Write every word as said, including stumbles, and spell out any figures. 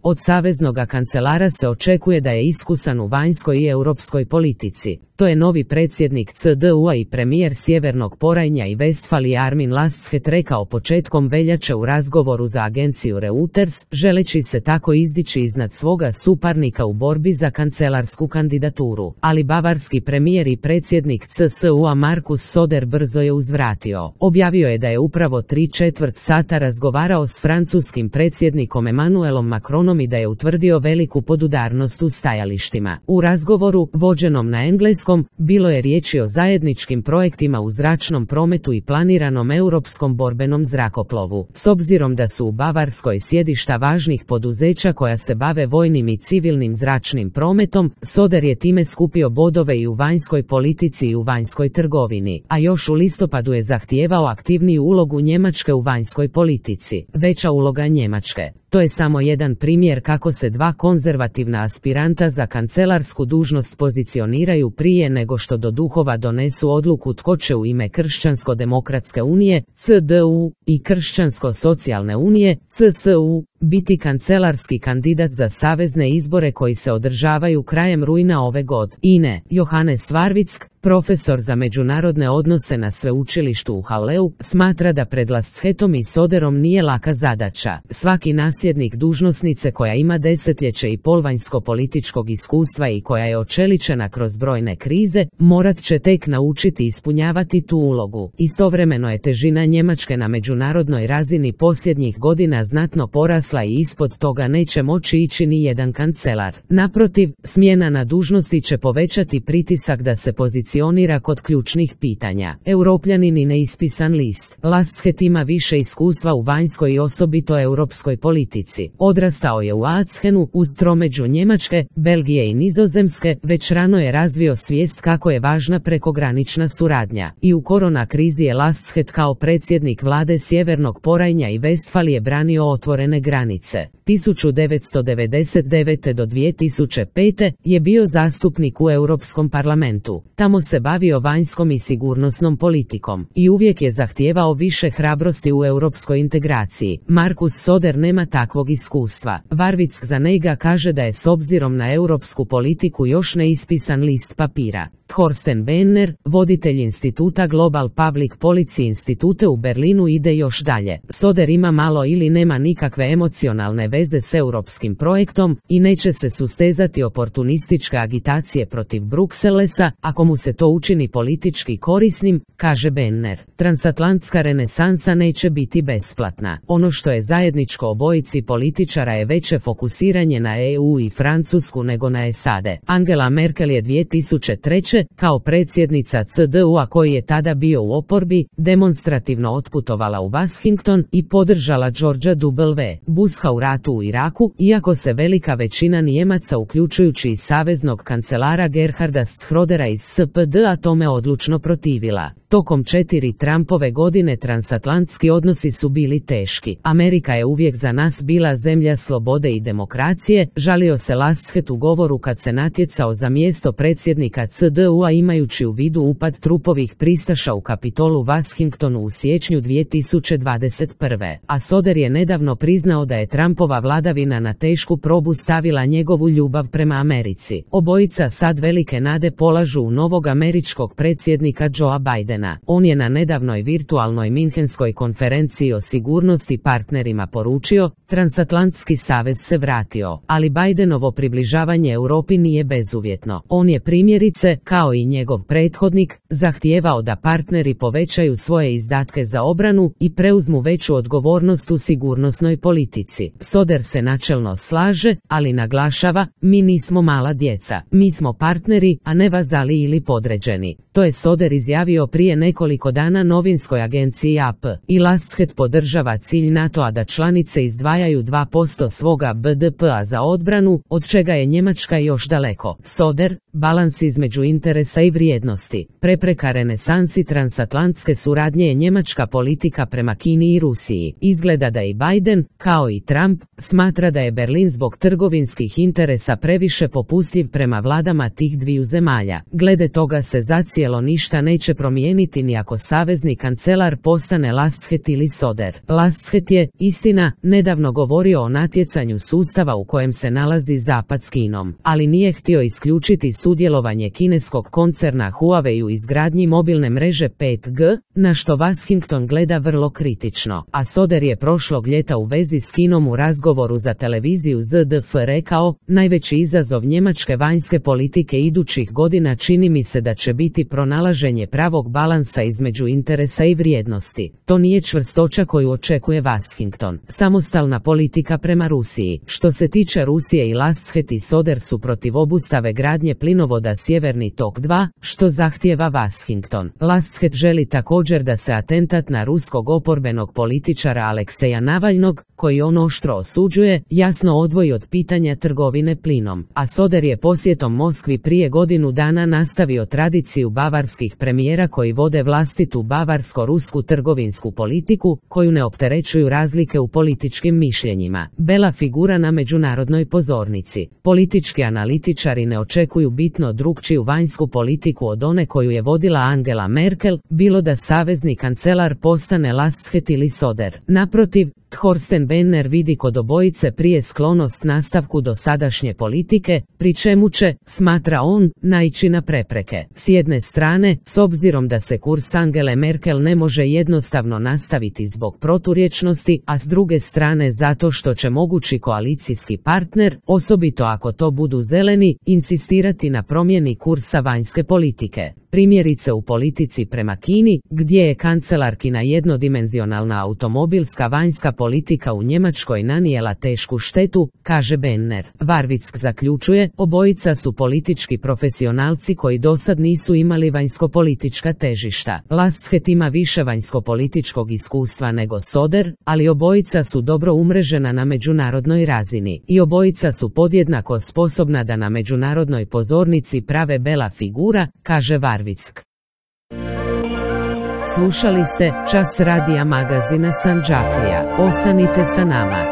Od saveznoga kancelara se očekuje da je iskusan u vanjskoj i europskoj politici. To je novi predsjednik C D U-a i premijer Sjevernog Porajnja i Vestfalije Armin Laschet rekao početkom veljače u razgovoru za agenciju Reuters, želeći se tako izdići iznad svoga suparnika u borbi za kancelarsku kandidaturu. Ali bavarski premijer i predsjednik C S U-a Markus Söder brzo je uzvratio. Objavio je da je upravo tri četvrt sata razgovarao s francuskim predsjednikom Emmanuelom Macronom i da je utvrdio veliku podudarnost u stajalištima. U razgovoru, vođenom na engleskom, bilo je riječi o zajedničkim projektima u zračnom prometu i planiranom europskom borbenom zrakoplovu. S obzirom da su u Bavarskoj sjedišta važnih poduzeća koja se bave vojnim i civilnim zračnim prometom, Söder je time skupio bodove i u vanjskoj politici i u vanjskoj trgovini, a još u listopadu je zahtijevao aktivniju ulogu Njemačke u vanjskoj politici. Veća uloga Njemačke. To je samo jedan primjer kako se dva konzervativna aspiranta za kancelarsku dužnost pozicioniraju prije nego što do duhova donesu odluku tko će u ime Kršćansko-demokratske unije, C D U, i Kršćansko-socijalne unije, C S U, biti kancelarski kandidat za savezne izbore koji se održavaju krajem rujna ove godine. Johannes Warwick, profesor za međunarodne odnose na sveučilištu u Halleu, smatra da pred Laschetom i Söderom nije laka zadaća. Svaki nasljednik dužnosnice koja ima desetljeće i pol vanjsko-političkog iskustva i koja je očeličena kroz brojne krize, morat će tek naučiti ispunjavati tu ulogu. Istovremeno je težina Njemačke na međunarodnoj razini posljednjih godina znatno porasla i ispod toga neće moći ići ni jedan kancelar. Naprotiv, smjena na dužnosti će povećati pritisak da se pozicionira kod ključnih pitanja. Europljanin i neispisan list. Laschet ima više iskustva u vanjskoj i osobito europskoj politici. Odrastao je u Aachenu, uz tromeđu Njemačke, Belgije i Nizozemske, već rano je razvio svijest kako je važna prekogranična suradnja. I u korona krizi je Laschet kao predsjednik vlade Sjevernog Porajnja i Vestfalije branio otvorene granice. tisuću devetsto devedeset devete do dvije tisuće pete je bio zastupnik u Europskom parlamentu. Tamo se bavio vanjskom i sigurnosnom politikom i uvijek je zahtijevao više hrabrosti u europskoj integraciji. Markus Söder nema takvog iskustva. Warwick za njega kaže da je s obzirom na europsku politiku još neispisan list papira. Thorsten Benner, voditelj instituta Global Public Policy institute u Berlinu, ide još dalje. Söder ima malo ili nema nikakve emocionalne veze s europskim projektom i neće se sustezati oportunističke agitacije protiv Brukselesa, ako mu se to učini politički korisnim, kaže Benner. Transatlantska renesansa neće biti besplatna. Ono što je zajedničko obojici političara je veće fokusiranje na E U i Francusku nego na S A D. Angela Merkel je dvije tisuće treće kao predsjednica C D U-a koji je tada bio u oporbi, demonstrativno otputovala u Washington i podržala Georgea W. Busha u ratu u Iraku, iako se velika većina Nijemaca uključujući i saveznog kancelara Gerharda Schrödera iz S P D-a tome odlučno protivila. Tokom četiri Trumpove godine transatlantski odnosi su bili teški. Amerika je uvijek za nas bila zemlja slobode i demokracije, žalio se Laschet u govoru kad se natjecao za mjesto predsjednika C D U-a imajući u vidu upad trupovih pristaša u Kapitolu Washingtonu u siječnju dvije tisuće dvadeset prve. A Söder je nedavno priznao da je Trumpova vladavina na tešku probu stavila njegovu ljubav prema Americi. Obojica sad velike nade polažu u novog američkog predsjednika Joea Bidena. On je na nedavnoj virtualnoj Minhenskoj konferenciji o sigurnosti partnerima poručio, transatlantski savez se vratio, ali Bidenovo približavanje Europi nije bezuvjetno. On je primjerice, kao i njegov prethodnik, zahtijevao da partneri povećaju svoje izdatke za obranu i preuzmu veću odgovornost u sigurnosnoj politici. Söder se načelno slaže, ali naglašava, mi nismo mala djeca, mi smo partneri, a ne vazali ili podređeni. To je Söder izjavio prije nekoliko dana novinskoj agenciji A P. I Laschet podržava cilj NATO-a da članice izdvajaju dva posto svoga B D P-a za odbranu, od čega je Njemačka još daleko. Söder, balans između interesa interesa i vrijednosti. Prepreka renesansi transatlantske suradnje je njemačka politika prema Kini i Rusiji. Izgleda da i Biden, kao i Trump, smatra da je Berlin zbog trgovinskih interesa previše popustljiv prema vladama tih dviju zemalja. Glede toga se zacijelo ništa neće promijeniti ni ako savezni kancelar postane Lastshet ili Soder. Lastshet je, istina, nedavno govorio o natjecanju sustava u kojem se nalazi Zapad s Kinom, ali nije htio isključiti sudjelovanje kineskog koncerna Huawei u izgradnji mobilne mreže pet G, na što Washington gleda vrlo kritično. A Soder je prošlog ljeta u vezi s Kinom u razgovoru za televiziju Z D F rekao: najveći izazov njemačke vanjske politike idućih godina čini mi se da će biti pronalaženje pravog balansa između interesa i vrijednosti. To nije čvrstoća koju očekuje Washington. Samostalna politika prema Rusiji. Što se tiče Rusije, i Lastshet i Soder su protiv obustave gradnje plinovoda Sjeverni tok dva, što zahtijeva Washington. Lastshet želi također da se atentat na ruskog oporbenog političara Alekseja Navalnog, koji on oštro osuđuje, jasno odvoji od pitanja trgovine plinom. A Soder je posjetom Moskvi prije godinu dana nastavio tradiciju bavarskih premijera koji vode vlastitu bavarsko-rusku trgovinsku politiku, koju ne opterećuju razlike u političkim mišljenjima. Bela figura na međunarodnoj pozornici. Politički analitičari ne očekuju bitno drukčiju vanjsku politiku od one koju je vodila Angela Merkel, bilo da savezni kancelar postane Lastshet ili Soder. Naprotiv, Thorsten Benner vidi kod obojice prije sklonost nastavku dosadašnje politike, pri čemu će, smatra on, naići na prepreke. S jedne strane, s obzirom da se kurs Angele Merkel ne može jednostavno nastaviti zbog proturječnosti, a s druge strane zato što će mogući koalicijski partner, osobito ako to budu zeleni, insistirati na promjeni kursa vanjske politike. Primjerice u politici prema Kini, gdje je kancelarkina jednodimenzionalna automobilska vanjska politika u Njemačkoj nanijela tešku štetu, kaže Benner. Warwick zaključuje, obojica su politički profesionalci koji dosad nisu imali vanjskopolitička težišta. Lastshet ima više vanjskopolitičkog iskustva nego Soder, ali obojica su dobro umrežena na međunarodnoj razini. I obojica su podjednako sposobna da na međunarodnoj pozornici prave bela figura, kaže Warwick. Slušali ste Čas radija magazina Sandžaklija. Ostanite sa nama.